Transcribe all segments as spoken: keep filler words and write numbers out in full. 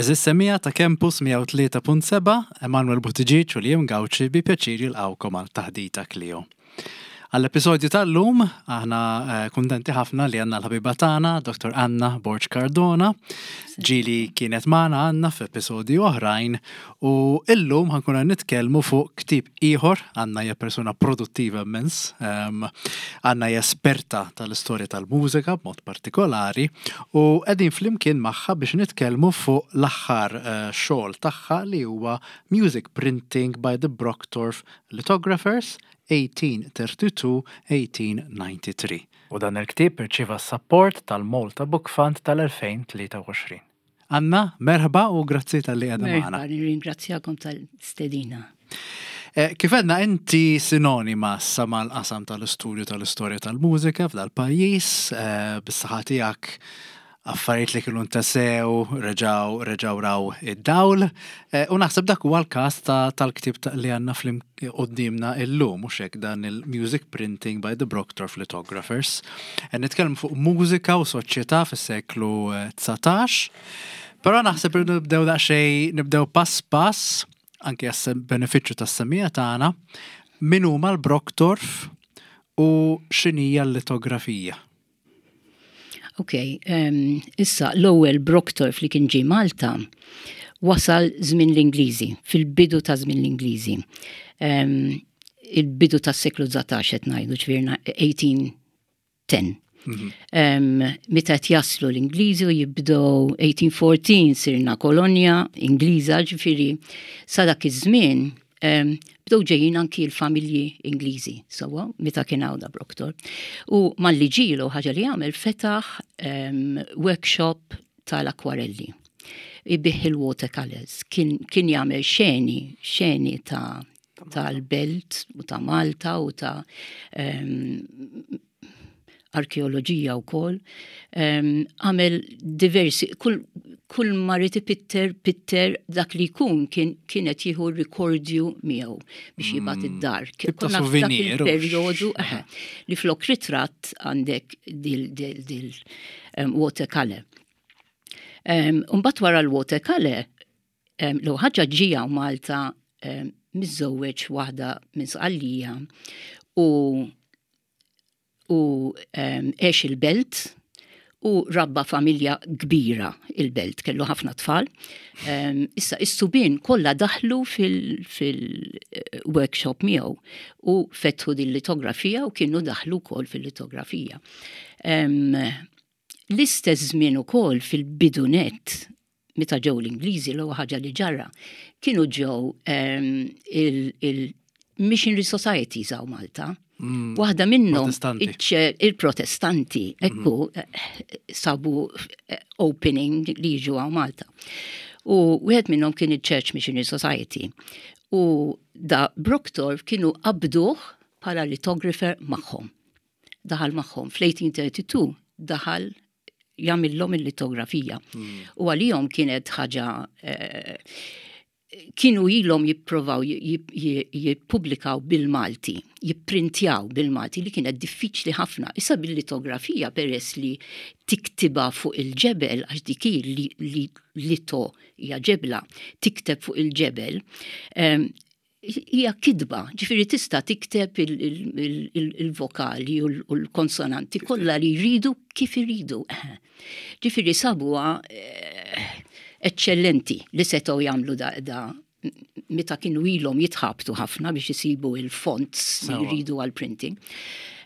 Għeżież semmiegħa ta' Campus mija u tlieta punt sebgħa, Emanuel Buttigieg u Liam Gauci bi pjaċir jilqgħukom għal Taħdita Klio. Għall-episodju tal-lum, aħna eh, kuntenti ħafna li għandna l-ħabiba tagħna, Doktor Anna Borg Cardona, ġieli kienet magħna Anna f'episodji oħrajn u illum ħa nkunu nitkellmu fuq ktieb ieħor. Anna hija persuna produttiva immens, um, Anna hija esperta tal-istorja tal-mużika b'mod partikolari u qegħdin flimkien magħha biex nitkellmu fuq l-aħħar uh, xogħol tagħha li huwa Music Printing by the Brockdorff Lithographers eighteen thirty-two eighteen ninety-three. U dan il-ktieb irċieva s-support tal-Malta Book Fund tal-elfejn u tlieta u għoxrin. Anna, merħba u grazzi talli qiegħda magħna. Merħba, nirringrazzjakom tal-stedina. Eh, Kif għedna, inti sinonima sa mal-qasam tal-istudju tal-istorja tal-mużika f'dal-pajjiż, eh, bis-saħħa tiegħek affarijiet li kienu ntesew, reġaw, reġaw raw id-dawl. Eh, U naħseb dak huwa l-każ ta- tal-ktieb ta' li għandna flim quddiemna illum, mhux hekk, dan il-Music Printing by the Brockdorff Lithographers. Eh, Nitkellmu fuq mużika u soċjetà fis-seklu eh, dsatax. Però naħseb li nibdew daqsxejn, nibdew pass pass, anke għas benefiċċju tas-semmiegħa tagħna, min huma l-Brockdorff u x'inhija l-litografija. Ok, um, issa l-ewwel Brockdorff li kien ġie Malta wasal żmien l-Ingliżi, fil-bidu ta' żmien l-Ingliżi. Um, il-bidu tas-seklu dsatax qed ngħidu, ġifieri eighteen ten. Um, meta qed jaslu l-Ingliżi u jibdew eighteen fourteen sirna kolonja Ingliża, ġifieri sa dak iż-żmien um, bdew ġejjin anki l-familji Ingliżi, sewwa, meta kien hawn da Brockdorff. U malli ġielu ħaġa li għamel, fetaħ um, workshop tal-akwarelli. Ibigħ il-watercolors. Kien, kien jagħmel xeni, xeni ta' tal-Belt u ta' Malta u ta' um, arkeoloġija u koll. Għamel diversi, kull, kull ma ried ipitter, pitter dak li jkun kien kienet jieħu rikordju miegħu biex jibgħat id-dar. Tip ta' Konna f'dak souvenir, u il-perjodu eħe, li flok ritratt għandek dil, dil, dil um, watercolor. Um, Mbagħad wara l-watercolor, um, l ħaġa ġie hawn Malta um, miżżewweġ waħda minn Sqallija u u um, għex il-Belt u rabba familja kbira il-Belt, kellu ħafna tfal. Um, issa, is-subien kollha daħlu fil-workshop miegħu u fetħu din litografija u kienu daħlu wkoll fil-litografija. Um, L-istess żmien ukoll fil-bidunet meta ġew l-Ingliżi, l ħaġa li ġara kienu ġew um, il-Missionary Societies hawn Malta. Mm. Waħda minnhom Protestanti. iċ- il-Protestanti, ekku, eh, sabu eh, opening li jiġu hawn Malta. U wieħed minnhom kien il-Church Missionary Society. U da Brockdorff kienu qabduh bħala lithographer magħhom. Daħal magħhom fl-eighteen thirty-two, daħal jagħmilhom il-litografija. U għalihom kienet ħaġa eh, kienu ilhom jipprovaw jippubblikaw bil-Malti, jipprintjaw bil-Malti, li kienet diffiċli ħafna. Issa bil-litografija, peress li tiktibha fuq il-ġebel, għax dik hi li, li lito hija ġebla, tikteb fuq il-ġebel, em, hija kitba, ġifieri tista' tikteb il-vokali u l-konsonanti kollha li jridu kif iridu. Ġifieri sabuha eh, eccellenti li setgħu jagħmlu da, da meta kienu ilhom jitħabtu ħafna biex isibu il-fonts li Sewwa. jridu għal-printing.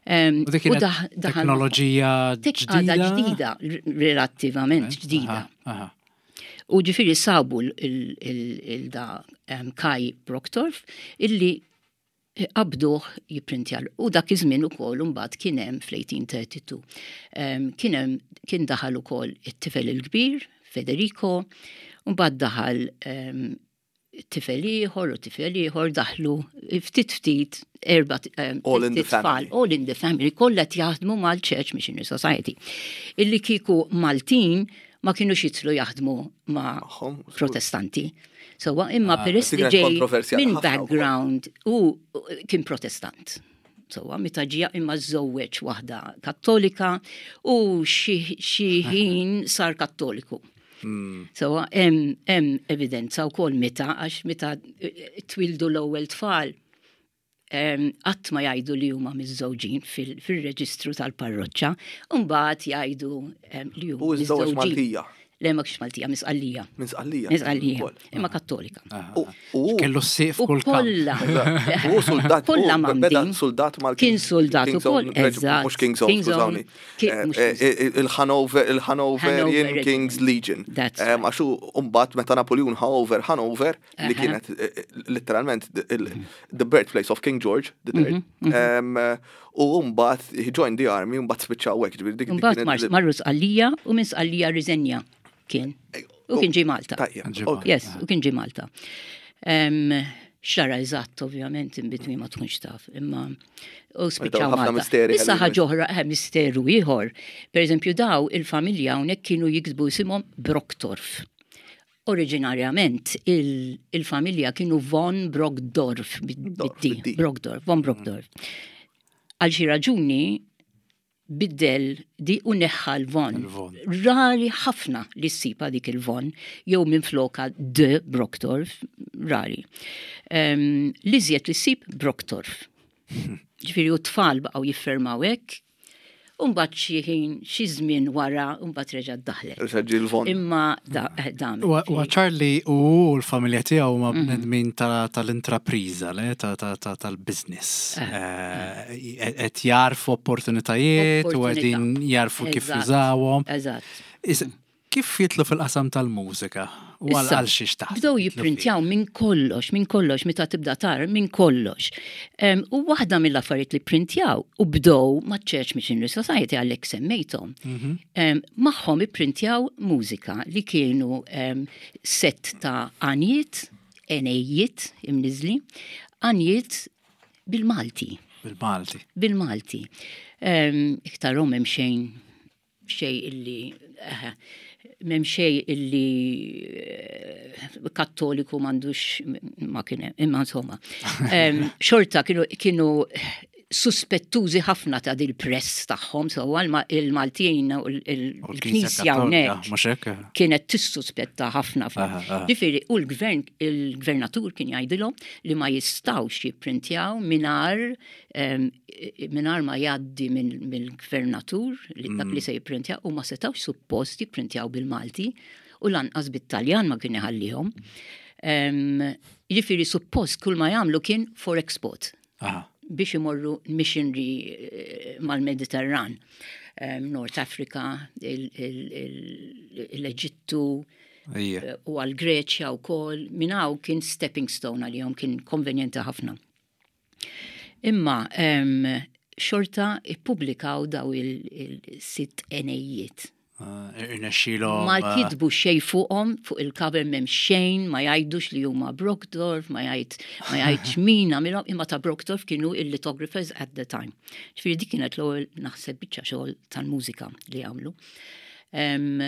Um, U dik kienet teknoloġija ġdida. ġdida? Ġdida, relattivament ġdida. Aha, aha. U ġifieri sabu il-da um, Kai Brockdorff illi qabduh jipprintja. U dak iż-żmien ukoll imbagħad kien hemm fl-eighteen thirty-two. Um, kien hemm kien daħal ukoll it-tifel il-kbir, Federico, u mbagħad daħal um, tifel ieħor u tifel ieħor, daħlu ftit ftit erba' um, All in the tfal, family. All in the family, kollha qed jaħdmu mal-Church Missionary Society. Illi kieku Maltin ma kienux jidħlu jaħdmu ma' Magħhom, żgur. Protestanti. So, imma Ah, peress dik li kienet ġej kontroversjali minn ħafna wkoll. background u u kien Protestant. So, meta ġie imma żżewweġ waħda Kattolika u xi xi ħin sar Kattoliku. Hmm. So, hemm hemm evidenza wkoll meta, għax meta eh, twildu l-ewwel tfal, em, qatt ma jgħidu li huma miżżewġin fil- fil-reġistru tal-parroċċa, u mbagħad jgħidu em, li huma U żżewweġ miżżewġin. Maltija. Le, ma kienx Maltija, minn Sqallija. Minn Sqallija. Minn Sqallija, Ukoll. imma Kattolika. U- U Kellu s-sif U kull kamp. kollha. U soldat. Kollha u Beda mamdin. soldat mal Kien soldat King's ukoll, Own Regiment, eżatt. Mhux King's Own, King's Own, skużawni. ki- Eh, mhux eh, King's Own. eh, Il-Hanover, il-Hanoverian Hanover King's Legion. That's Em, right. Għax u mbagħad meta Napoleon ħa over Hanover, li Aha. kienet eh, eh, literalment the- il- the birthplace of King George the Third. Mhm, Em, eh, U mbagħad he joined the army, mbagħad spiċċa hekk, ġifieri dik dik Mbagħad kienet- mar- marru Sqallija u minn Sqallija riżenja kien. U kien ġie Malta. Tajjeb, Ġie ok. Yes, u kien ġie Malta. Em, Xara eżatt, ovvjament, in between ma tkunx taf, imma u spiċċaw ħafna Malta. misteri Issa ħalli- ħaġa oħra, eh, misteru ieħor. Per eżempju, daw il-familja hawnhekk kienu jiktbu isimhom Brocktorf. Oriġinarjament il- il-familja kienu von Brockdorf, Dorf, bid-D, bid-D. Brockdorf, von Brockdorf. Għal xi raġuni biddel di u neħħa l-von. Il-von. Rari ħafna li ssiba dik il-von, jew minn floka de Brockdorf, rari. Um, L-iżjed li ssib Brockdorf. Ġifieri u tfal baqgħu jiffirmaw hekk, u mbagħad xi ħin, xi żmien wara, u mbagħad reġa' daħlet. Reġa' ġie l-von. Imma da, eh, dam. U u Charlie u l-familja tiegħu huma bnedmin ta- tal-intrapriża, le, ta- ta- ta- tal-business. Eh, Qed jarfu opportunitajiet u Opportunità. qegħdin jarfu kif Eżatt. jużawhom. Eżatt. Is- Kif jitlu fil-qasam tal-mużika? U għal Issa, għal xiex taħseb? Bdew jitlu jipprintjaw minn kollox, minn kollox, meta tibda tar, minn kollox. Em, U waħda mill-affarijiet li printjaw u bdew ma' Church Missionary Society għalhekk semmejthom. Mhm. Em, Magħhom ipprintjaw mużika li kienu em, set ta' għanjiet, għenejjiet imniżli, għanjiet bil-Malti Bil-Malti. bil-Malti. Um, Iktarhom hemm xejn xej illi eh, m'hemm xej illi eh, kattoliku m'għandux ma kien hemm, imma insomma. Em, Xorta kienu kienu suspettużi ħafna ta' dil-press tagħhom, so il-Maltin u U l-Knisja l-Knisja Kattolika, hawnhekk mhux hekk? kienet tissuspetta ħafna. Aha, aha. Ġifieri, u l-gvern, il-gvernatur kien jgħidilhom li ma jistawx jipprintjaw mingħajr em, mingħajr ma jgħaddi minn- mill-gvernatur li dak li se jipprintjaw u ma setawx suppost jipprintjaw bil-Malti u lanqas bit-Taljan ma kien iħallihom. Em, Ġifieri suppost kull ma jagħmlu kien for export Aha. biex imorru missionary eh, mal-Mediterran. Um, North Africa, il- il- il- l-Eġittu, Ija. eh, u għal-Greċja u kol, minnaw kien stepping stone għalihom, kien konvenjenti ħafna. Imma um, xorta ippubblikaw daw il-sitt għenejjiet. Irnexxielhom. Ma kitbu xej fuqhom, fuq il-cover m'hemm xejn, ma jgħidux li huma Brockdorf, ma jgħid ma jgħidx min għamilhom, imma ta' Brockdorf kienu il-lithographers at the time. Ġifieri dik kienet l-ewwel naħseb biċċa xogħol tal-mużika li għamlu. Um,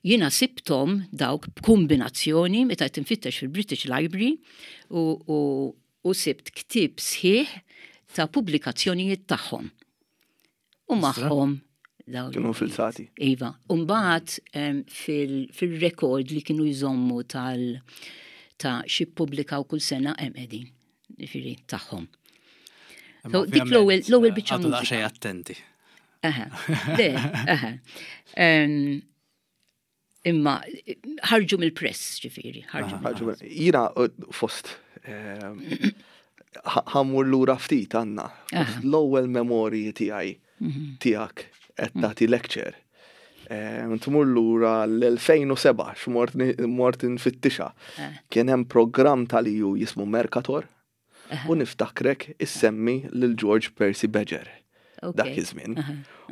jiena sibtom dawk b'kombinazzjoni meta qed tinfittex fil-British Library u, u, u sibt ktieb sħiħ ta' pubblikazzjonijiet tagħhom. U magħhom dawn Kienu filsati. Iva, Umbagħad fil-rekord li kienu jżommu tal ta' xi ppubblikaw kull sena hemm qegħdin, ġifieri tagħhom. So, dik l-ewwel l-ewwel biċċa Għadu mużika. daqsxejn attenti. Aha, le, aha. Em, Imma ħarġu mill-press, ġifieri, ħarġu. Ħarġu mill- Jiena uh, fost ehm, ħa- ħa mmur lura ftit għandna. Fost l-ewwel memorji tiegħi tiegħek qed tagħti lecture. Ehm, Tmur lura l-elfejn u sebgħa x'mort ni- mort nfittixa. Kien hemm programm tal-E U jismu Mercator u niftakrek issemmi lil George Percy Badger dak Ok. iż-żmien.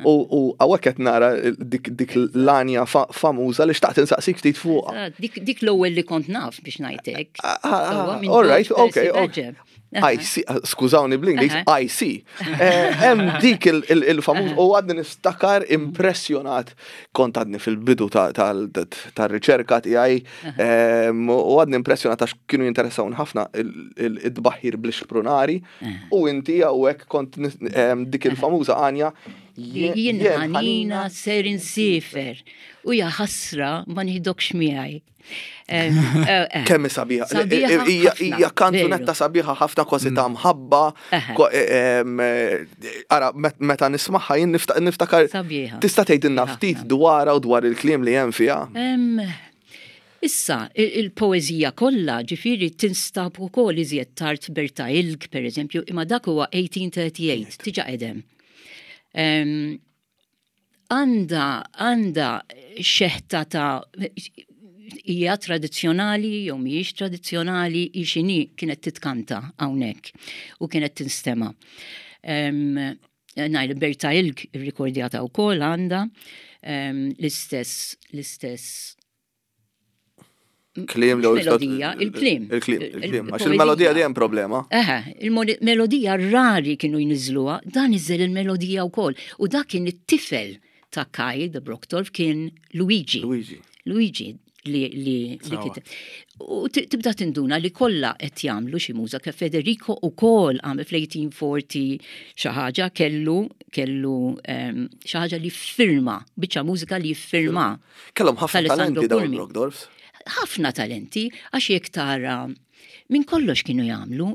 U u hawnhekk qed nara dik dik l-għanja fa- famuża li xtaqt insaqsik ftit fuqha. Ah, Dik dik l-ewwel li kont naf biex ngħidlek. Ah, ah, Sewwa, minn all right, George Percy okay, okay. Badger. I see, skużawni bl-Ingliż, Aha. I see. Eh, Hemm dik il- il- il-famuż u għadni niftakar impressjonat kont għadni fil-bidu ta- tal- tar-riċerka tiegħi em, u għadni impressjonat għax kienu jinteressawni ħafna il-tbaħħir bl-xprunari u inti hawnhekk kont nis- em, dik il-famuża għanja Jien ħanina ser insifer u ja ħasra ma nieħdokx miegħi. Kemm sabiħa. Hija kanzunetta sabiħa ħafna, kważi ta' mħabba. Ara, meta nismagħha jien niftakar. Tista' tgħidilna ftit dwarha u dwar il-kliem li hemm fiha? Issa, il-poeżija kollha ġifieri tinstab ukoll iżjed tard Berta Ilg, pereżempju, imma dak huwa eighteen thirty-eight, tiġa qedem. Għandha għandha xeħta ta' hija tradizzjonali jew mhijiex tradizzjonali, hi x'inhi kienet titkanta hawnhekk u kienet tinstema'. Ngħid Berta Ilg irrikordjata wkoll għandha l-istess l-istess kliem li melodija, il-kliem. Il-kliem, il-kliem. Għax il-melodija dejjem problema. Eħe, il-melodija rari kienu jniżluha, dan iżel il-melodija wkoll. U dak kien it-tifel ta' Kai de Brockdorff kien Luigi. Luigi. Luigi li li li U tibda tinduna li kollha qed jagħmlu xi mużika. Federico ukoll għamel fl-eighteen forty xi ħaġa, kellu kellu xi ħaġa li firma, biċċa mużika li firma. Kellhom ħafna talenti dawn Brockdorffs. Ħafna talenti, għax jekk tara minn kollox kienu jagħmlu,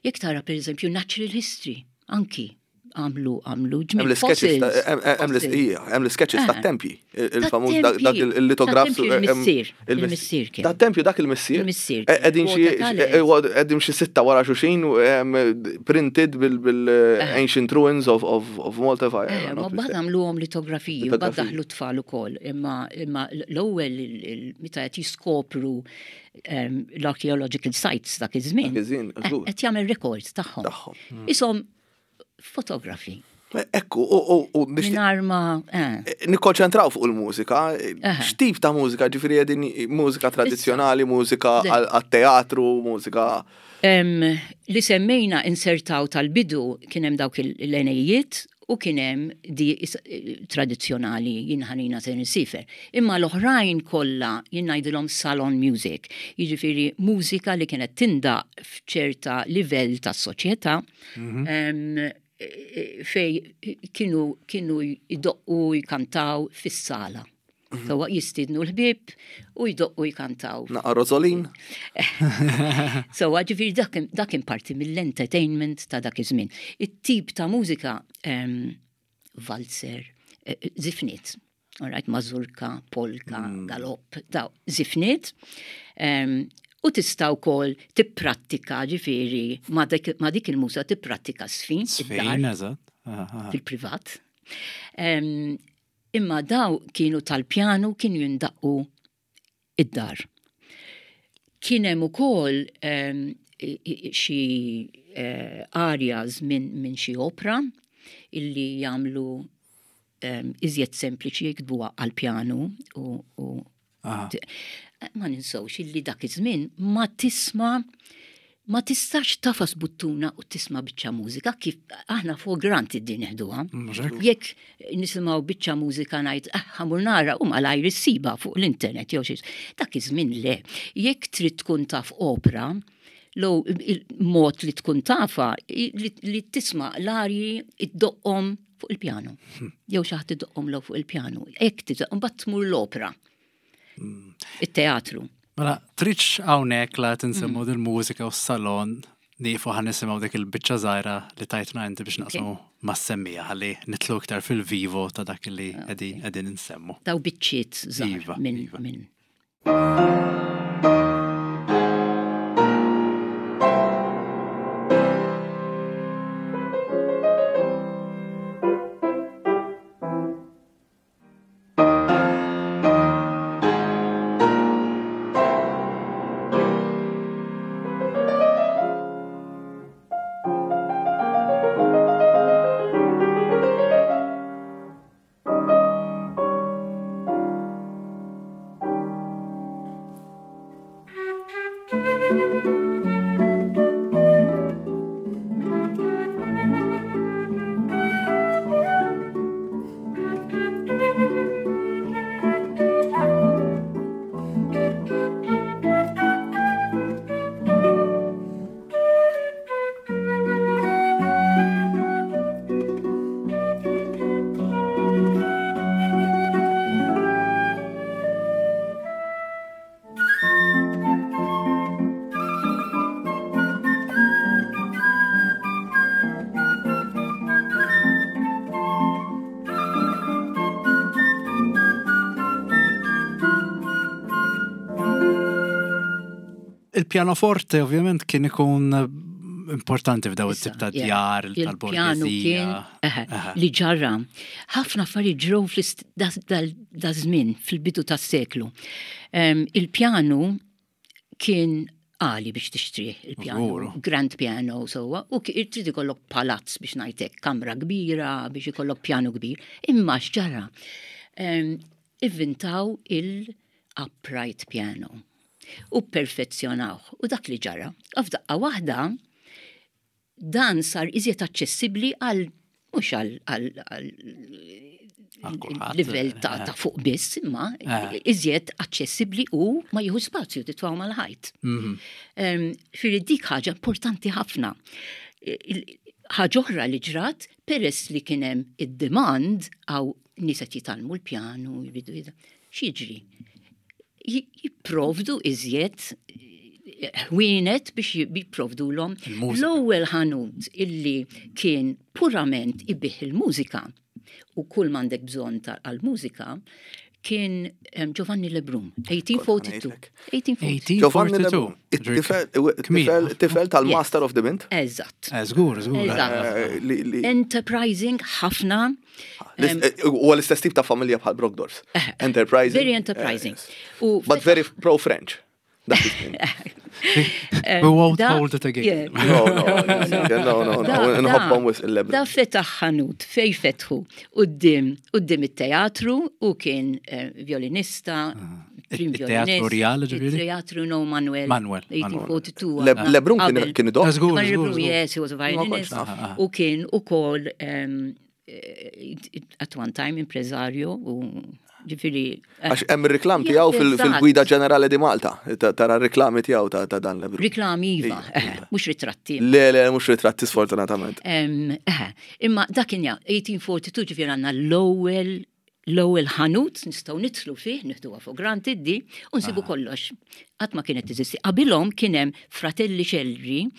jekk tara pereżempju Natural History, anki għamlu għamlu ġmiel. Hemm l-sketches tat-tempji, il-famuż dak il-litograf. Il-missier. Il-missier kien. Tat-tempju dak il-missier. Il-missier. Qegħdin xi sitta wara xulxin printed bil-ancient ruins of Malta. Ma mbagħad għamluhom litografiji, mbagħad daħlu tfal ukoll, imma l-ewwel meta qed jiskopru l-archaeological sites dak iż-żmien. Qed jagħmel records tagħhom. Ishom fotografi. Ekku, u Mingħajr ma nikkonċentraw fuq il-mużika. X'tip ta' mużika? Ġifieri qegħdin mużika tradizzjonali, mużika għat-teatru, mużika. Li semmejna insertaw tal-bidu kien hemm dawk l-għenejjiet u kien hemm di tradizzjonali jien ħanina se nsifer. Imma l-oħrajn kollha jien ngħidilhom salon music, jiġifieri mużika li kienet tindaq f'ċerta livell tas-soċjetà fej kienu kienu jdoqqu jkantaw fis-sala. Sewwa jistiednu l-ħbieb u jdoqqu jkantaw. Naqa' Rosolin. Sewwa ġifieri dak kien parti mill-entertainment ta' dak iż-żmien. It-tip ta' mużika valzer, żifniet, all right, mazurka, polka, galopp, daw żifniet. U tista' wkoll tipprattika ġifieri ma' dik il-mużika tipprattika sfin. Sfin, eżatt. Fil-privat. Imma daw kienu tal-pjanu, kienu jindaqqu id-dar. Kien hemm ukoll xi arias minn xi opra illi jagħmlu iżjed sempliċi jiktbuha għall-pjanu u ma ninsewx illi dak iż-żmien ma tisma' ma tistax tafas buttuna u tisma' biċċa mużika kif aħna for granted din neħduha. Jekk nisimgħu biċċa mużika ngħid ah ħamur nara u malajr issiba fuq l-internet jew xi. Dak iż-żmien le. Jekk trid tkun taf opra, low il-mod li tkun tafa li tisma' l-arji iddoqqhom fuq il-pjanu. Jew xi ħadd iddoqqhom low fuq il-pjanu. Hekk tiżoq mbagħad tmur l-opra. It-teatru. Mela, tridx hawnhekk la tinsemmu dil-mużika u s-salon nieqfu ħa nisimgħu dik il-biċċa żgħira li tajtna inti biex naqsmu mas-semmija ħalli nitlu iktar fil-vivo ta' dak li qegħdin qegħdin insemmu. Daw biċċiet żgħar minn minn. Il-pianoforte ovvjament kien ikun importanti f'daw it-tip ta' Issa, djar yeah. Il-pjanu kien tal-borgesija. eħe, li ġara. Ħafna affarijiet ġrew da żmien fil-bidu tas-seklu. Em, Il-pjanu kien għali biex tixtrih il-pjanu, Żgur. Grand piano sewwa, u ki- trid ikollok palazz biex ngħidlek, kamra kbira biex ikollok pjanu kbir. Imma x'ġara? Em, Ivvintaw il-upright piano u perfezzjonawh. U dak li ġara. U f'daqqa waħda dan sar iżjed aċċessibbli għal mhux għal għal għal Għal kulħadd, livell ta', ta' fuq biss, imma Eh. iżjed aċċessibbli u ma jieħu spazju titfgħu mal-ħajt. Mhm. Um, Firri dik ħaġa importanti ħafna. Il- Ħaġa oħra li ġrat, peress li kien hemm id-demand għaw nies qed jitgħallmu l-pjanu, jridu jida. X'jiġri? Ji- Jipprovdu iżjed eh, ħwienet biex jipprovdu l Il-mużika. L-ewwel ħanut illi kien purament ibigħ il-mużika u kull m'għandek bżonn ta' għal-mużika kien em, Giovanni Lebrun, eighteen forty-two. Ngħidlek. eighteen forty-two. Giovanni eighteen forty-two. Lebrun, it-tifel Kmien. it-tifel- tifel tal-Master of the Mint. Eżatt. Eh, Żgur, żgur. Eżatt. Eh, li- li- Enterprising ħafna. l- eh, Huwa l-istess tip ta' familja bħal Brockdorffs. Enterprising. Very enterprising. Eh, yes. U But very pro-French. Dak iż-żmien. We won't da- hold it again. Yeah. No, no, no, no, no, Da- nħobbhom da- wisq il-Lebrun. Da fetaħ ħanut fej fetħu quddiem quddiem it-teatru u kien eh, violinista, prim Il-Teatru violinist. Real, ġifieri? Il-Teatru no Manuel. Manuel, eighteen forty-two. Le- Lebrun kien Qabel. kien idoq. Ah, żgur, Giovanni żgur, Lebrun, żgur. yes, he was a violinist. Ma kontx naf. U kien u kol um, eh, at one time impresario u ġifieri. eh, Għax hemm ir-reklam tiegħu fil- Eżatt. fil-gwida ġenerali di Malta. Ta- Tara r-reklami tiegħu ta' ta' dan Lebrun. Riklami iva, Iva, eh, iva. mhux ritratti. Le, le, mhux ritratti sfortunatament. Em, eh, Imma dak kien ja, eighteen forty-two ġifieri għandna l-ewwel l-ewwel ħanut nistgħu nidħlu fih, nieħduha for granted di, u nsibu kollox. Qatt ma kienet teżisti. Qabilhom kien hemm Fratelli Celri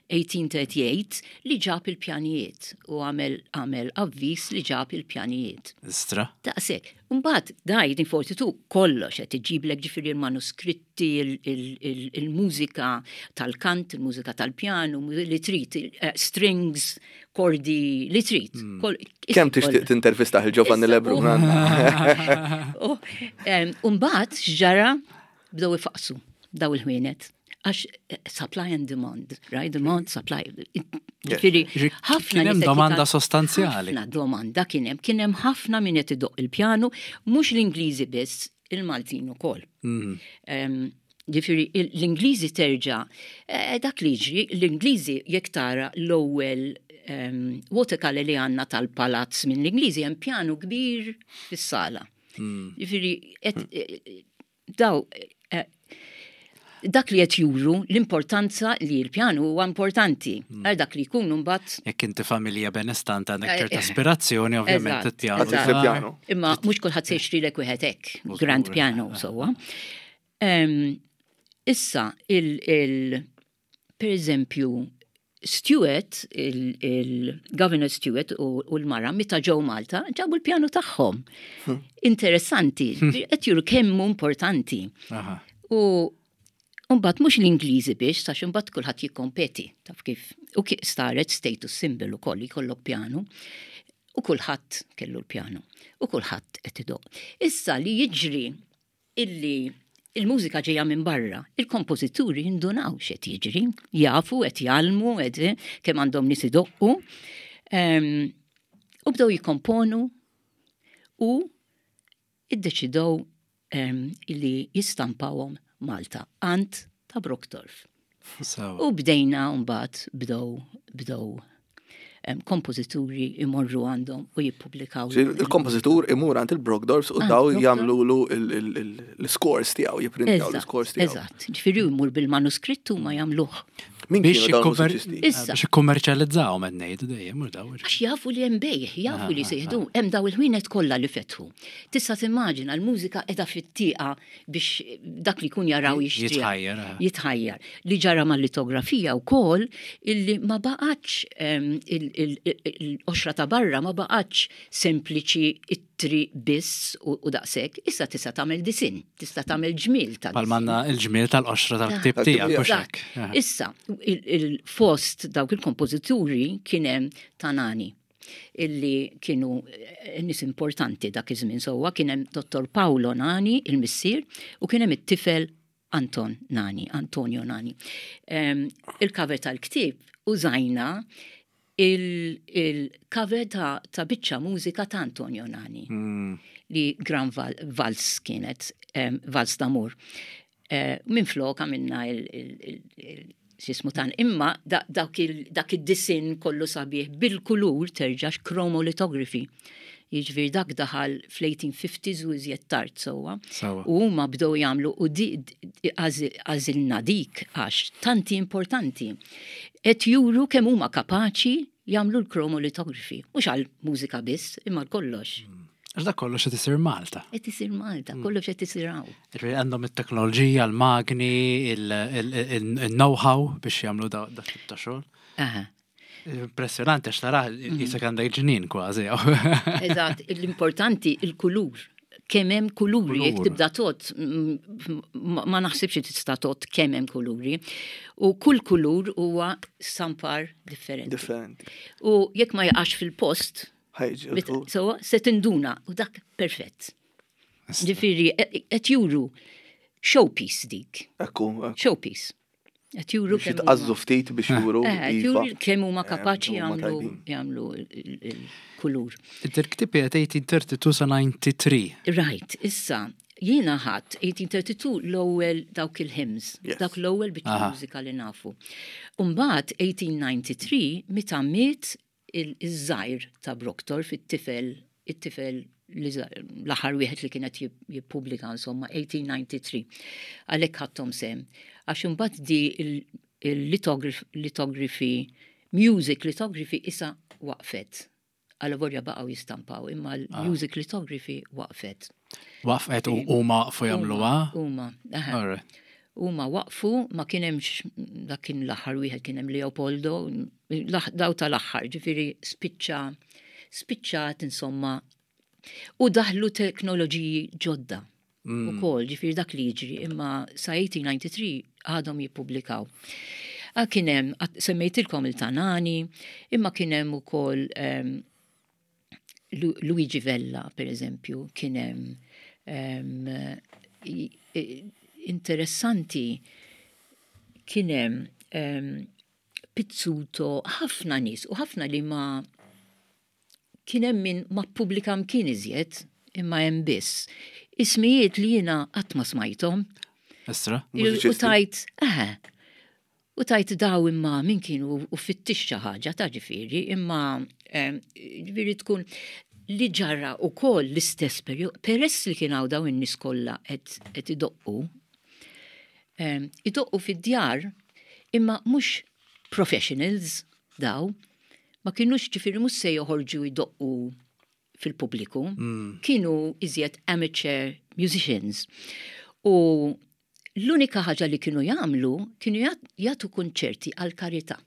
eighteen thirty-eight li ġab il-pjanijiet u għamel għamel avviż li ġab il-pjanijiet. Istra. Daqshekk. Mbagħad da eighteen forty-two kollox qed iġiblek ġifieri il-manuskritti, il- il- il- il-mużika tal-kant, il-mużika tal-pjanu, li trid, eh, strings, kordi, li trid. Kol- Kemm tixtieq tintervista il Giovanni Issa, Lebrun? U em, u mbagħad x'ġara, bdew ifaqsu daw il-ħwienet. Għax eh, supply and demand, right? Demand, supply. Ġifieri, Ġifieri, ħafna kien hemm nies qed domanda jital- sostanzjali. Ħafna domanda kien hemm, kien hemm ħafna min qed idoq il-pjanu, mhux l-Ingliżi biss, il-Maltin ukoll. Mhm. Em, Ġifieri, il- l-Ingliżi terġa', eh, dak li jiġri, l-Ingliżi jekk tara l-ewwel um, watercolor li għandna tal-palazz minn l-Ingliżi hemm pjanu kbir fis-sala. Ġifieri, et- eh, daw eh, dak li qed juru l-importanza li l-pjanu huwa importanti. Għal dak li jkunu mbagħad Jekk inti familja benestanti għandek Eh, ċerta eh. aspirazzjoni, ovvjament Eżatt, it-pjanu. eżatt. Il-pjanu. Imma mhux kulħadd se jixtrilek wieħed hekk, Żgur, grand piano sewwa. Em, Issa, il, il, per eżempju, Stewart, il-Governor Stewart u, u l-mara, meta ġew Malta, ġabu l-pjanu tagħhom. Interessanti, qed juru kemm hu importanti. Aha. U mbagħad mhux l-Ingliżi biex, għax imbagħad kulħadd jikkompeti, taf kif. U kif saret status symbol ukoll jkollok pjanu. U kulħadd kellu l-pjanu. U kulħadd qed idoq. Issa li jiġri illi il-mużika ġejja minn barra, il-kompożituri jindunaw x'qed jiġri, jafu qed jgħallmu, qed kemm għandhom nies idoqqu. Em, U bdew jikkomponu u iddeċidew em, illi jistampawhom Malta, għand ta' Brockdorff. So, U bdejna mbagħad bdew bdew em, kompożituri imorru għandhom u jippubblikaw. Il-kompożitur imur għand il-Brockdorffs u Għand daw Brockdorff. jagħmlu l-scores tiegħu, jipprintaw l-scores tiegħu. Eżatt, ġifieri jmur bil-manuskrittu ma jagħmluh. Min Biex kienu dawn jikkommer- il-mużiċisti? Issa. Biex ikkummerċjalizzaw qed ngħidu dejjem mhux daw. Għax jafu li hemm bejħ, jafu li sejħdu, hemm daw il-ħwienet kollha li fetħu. Tista' timmaġina l-mużika qiegħda fit-tieqa biex dak li jkun jaraw jixtriha. Jitħajjar, eh. Jitħajjar. Li ġara mal-litografija wkoll illi ma baqgħatx em, il- il- il- il-qoxra ta' barra ma baqgħatx sempliċi it- ittri biss u, u daqshekk, issa tista' tagħmel disinn, tista' tagħmel ġmiel ta' Bħalma għandna il-ġmiel tal-qoxra tal-ktib tiegħek u Dak. hekk. Issa, il- il-fost dawk il-kompożituri kien hemm ta' Nani illi kienu eh, nies importanti dak iż-żmien sewwa kien hemm Dottor Paolo Nani, il-missier, u kien hemm it-tifel Anton Nani, Antonio Nani. Em, Il-cover tal-ktieb użajna il- il-cover ta', ta' biċċa mużika ta' Antonio Nani Mm. li Gran Val Vals kienet, um, Vals d'Amour. Uh, Minn flok għamilna il- il- il- il- x'jismu tan, imma da- dak il- dak id-disinn kollu sabiħ bil-kulur terġax chromolithography. Jiġifieri dak daħal fl-eighteen fifties u iżjed tard sewwa. Sewwa. U huma bdew jagħmlu u di għażi- għażilna dik għax tanti importanti. Et juru kemm huma kapaċi jagħmlu l-chromolithography. Mhux għal mużika biss, imma għal kollox. Għax dak kollox qed isir Malta. Qed isir Malta, kollox qed isir hawn. Jiġifieri għandhom it-teknoloġija, l-magni, il-know-how biex jagħmlu da dak tip ta' xogħol. Aha. Impressjonanti għax tara jisek għandek ġnien kważi. Eżatt, l-importanti il-kulur. Kemm hemm kuluri, jekk Kulur. tibda tot, mm, ma ma naħsibx li tista' tot kemm hemm kuluri. U kull kulur huwa stampar differenti. Differenti. U jekk ma jaqax fil-post, Ħajġi. bit- so se tinduna u dak perfett. Ġifieri, qed juru showpiece dik, Ekku, ekku. Showpiece. Qed juru Biex kemm jitqazzu huma- ftit biex juru. Eh, qed iva. juru kemm huma kapaċi Eh, huma jagħmlu tajbin. jagħmlu il- il-kulur. Il-ktieb qiegħed eighteen thirty-two sa ninety-three. Right, issa, jiena ħadd eighteen thirty-two l-ewwel dawk il-hymns, Yes. dawk l-ewwel biċċa Aha. mużika li nafu. Umbagħad eighteen ninety-three meta miet il-żgħir ta' Brockdorff, it-tifel, it-tifel li żgħir- l-aħħar wieħed li kienet jip- jippubblika insomma eighteen ninety-three. Għalhekk ħadthom sem. Għax imbagħad di il-lithography, music lithography issa waqfet. Għalavolja baqgħu jistampaw, imma l-music lithography waqfet. Waqfet u huma waqfu jagħmluha. Huma, aha. Alright. Huma waqfu, ma kien hemmx, dak kien l-aħħar wieħed kien hemm Leopoldo, l- daw tal-aħħar, ġifieri spiċċa spiċċat insomma u daħlu teknoloġiji ġodda. Mm. Ukoll, ġifieri dak li jiġri, imma sa eighteen ninety-three għadhom jippubblikaw. Ah, kien hemm, għat- semmejtilkom il-ta' Nani, imma kien hemm ukoll em, Lu- Luigi Vella, per eżempju, kien hemm em, i- i- interessanti kien hemm em, Pizzuto, ħafna nies u ħafna li ma kien hemm min ma ppubblika mkien iżjed imma hemm biss. Ismijiet li jiena qatt ma smajthom. Estra? U Mużiċisti. tajt, eh, u tajt daw imma min kienu u fittix xi ħaġa ta' ġifieri, imma em, ġifieri tkun li ġara u koll l-istess periodu, peress li kien hawn daw in-nies kollha qed qed idoqqu, em, idoqqu fid-djar imma mhux professionals daw, ma kienux ġifieri mhux se joħorġu jdoqqu fil-pubbliku, kienu iżjed amateur musicians. U l-unika ħaġa li kienu jagħmlu kienu jat- jagħtu konċerti għal karità.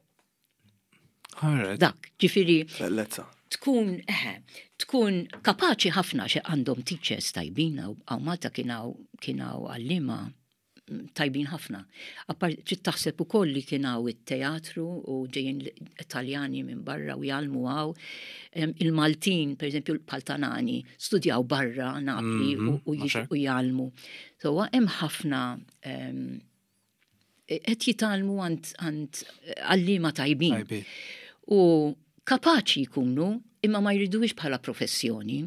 Alright. Dak, ġifieri Bellezza. tkun eh, tkun kapaċi ħafna xe għandhom teachers tajbin hawn hawn Malta kien hawn kien hawn għalliema mm, tajbin ħafna. Appar trid taħseb ukoll li kien hawn it-teatru u ġejjin Italjani minn barra u jgħallmu hawn. Em, Il-Maltin, per eżempju, bħal ta' Nani, studjaw barra Napli u, u, Mhm, jiġu- mhux u jgħallmu. So hemm ħafna em, qed jitgħallmu għand għand għalliema tajbin. Tajbin. U kapaċi jkunu imma ma jridux bħala professjoni.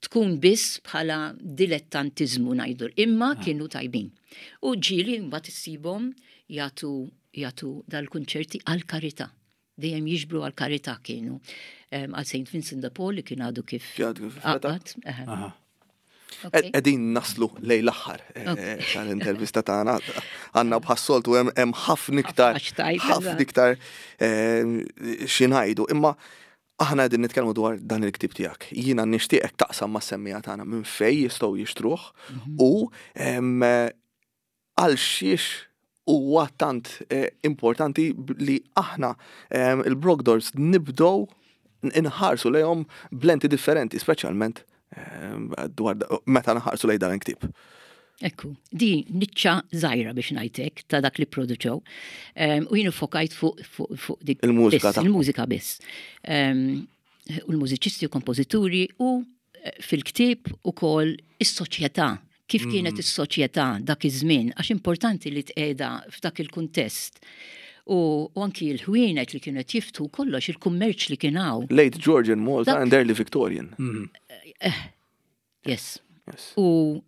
Tkun biss bħala dilettantizmu ngħidu, imma kienu tajbin. U ġieli mbagħad issibhom jagħtu jagħtu dal-kunċerti għal karità. Dejjem jiġbru għal karità kienu. Em, Għal Saint Vincent de Paul li kien għadu kif Għadu kif fetaħ. għaqad. Aha. Aha. Ok. Qegħdin naslu lejn l-aħħar eh, tal-intervista tagħna. Għandna bħas-soltu hemm hemm ħafna iktar Ħafna xtajt, ħafna eżatt. iktar eh, xi ngħidu. Imma aħna qegħdin nitkellmu dwar dan il-ktib tiegħek. Jiena nixtieqek taqsam mas-semmiegħa tagħna minn fejn jistgħu jixtruh u em, għal xiex huwa tant eh, importanti b- li aħna em, il-Brockdorffs nibdow Inħarsu lejhom b'lenti differenti, speċjalment eh, dwar meta nħarsu lejn dan il-ktieb. Ekku, di niċċa żgħira biex ngħidlek ta' dak li produċew. Um, u jien fokajt fuq fu, fu dik Il-mużika biss, il-mużika biss. Um, u l-mużiċisti u kompożituri u eh, fil-ktieb ukoll is-soċjetà. Kif kienet is-soċjetà dak iż-żmien, għax importanti li tqiegħda f'dak il-kuntest. U, u anki l-ħwienet li kienu qed jiftħu kollox, il-kummerċ li kien hawn. Late Georgian Malta Dak- and early Victorian. Yes. Yes. U,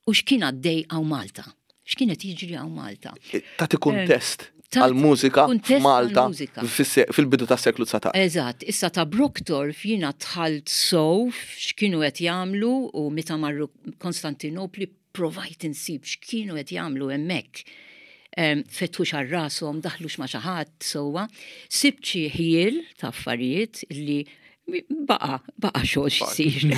u x'kien għaddej hawn Malta? X'kienet jiġri hawn Malta? Tati kuntest Tati għal-mużika kuntest f'Malta għall-mużika. fis- fil-bidu tas-seklu dsatax. Eżatt, issa ta' Brockdorff jiena dħalt sew x'kienu qed jagħmlu u meta marru Konstantinopli provajt insib x'kienu qed jagħmlu hemmhekk. Um, fetħux għal rashom, daħlux ma' xi ħadd sewwa. Sibt xi ħjiel ta' affarijiet li baqa, baqa xogħol x'isir.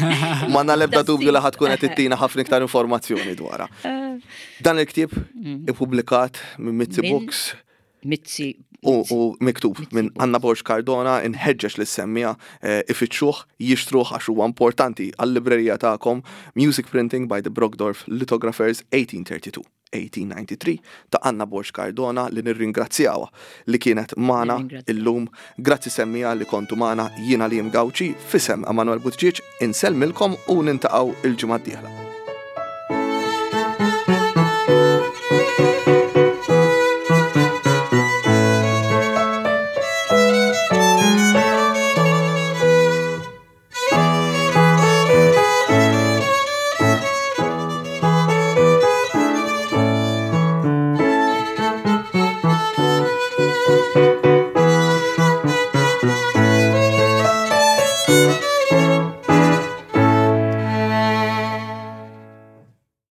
M'għandna l-ebda dubju li ħa tkun qed ittina ħafna iktar informazzjoni dwarha. Dan il-ktieb ippubblikat minn Mizzi Minn- Books Mizzi u, u miktub minn Mizzi Books. Anna Borg Cardona, inħeġġeġ lis-semmiegħa eh, ifittxuh, jixtruh għax huwa importanti għall-librerija tagħkom. Music Printing by the Brockdorff Lithographers eighteen thirty-two eighteen ninety-three ta' Anna Borg Cardona, li nirringrazzjawha li kienet magħna Nirringrazzjaw. illum. Grazzi semmiegħa li kontu magħna. Jiena li Gawċi, f'isem Emanuel Buttigieg, insellmilkom u niltaqgħu il-ġimgħa d-dieħla.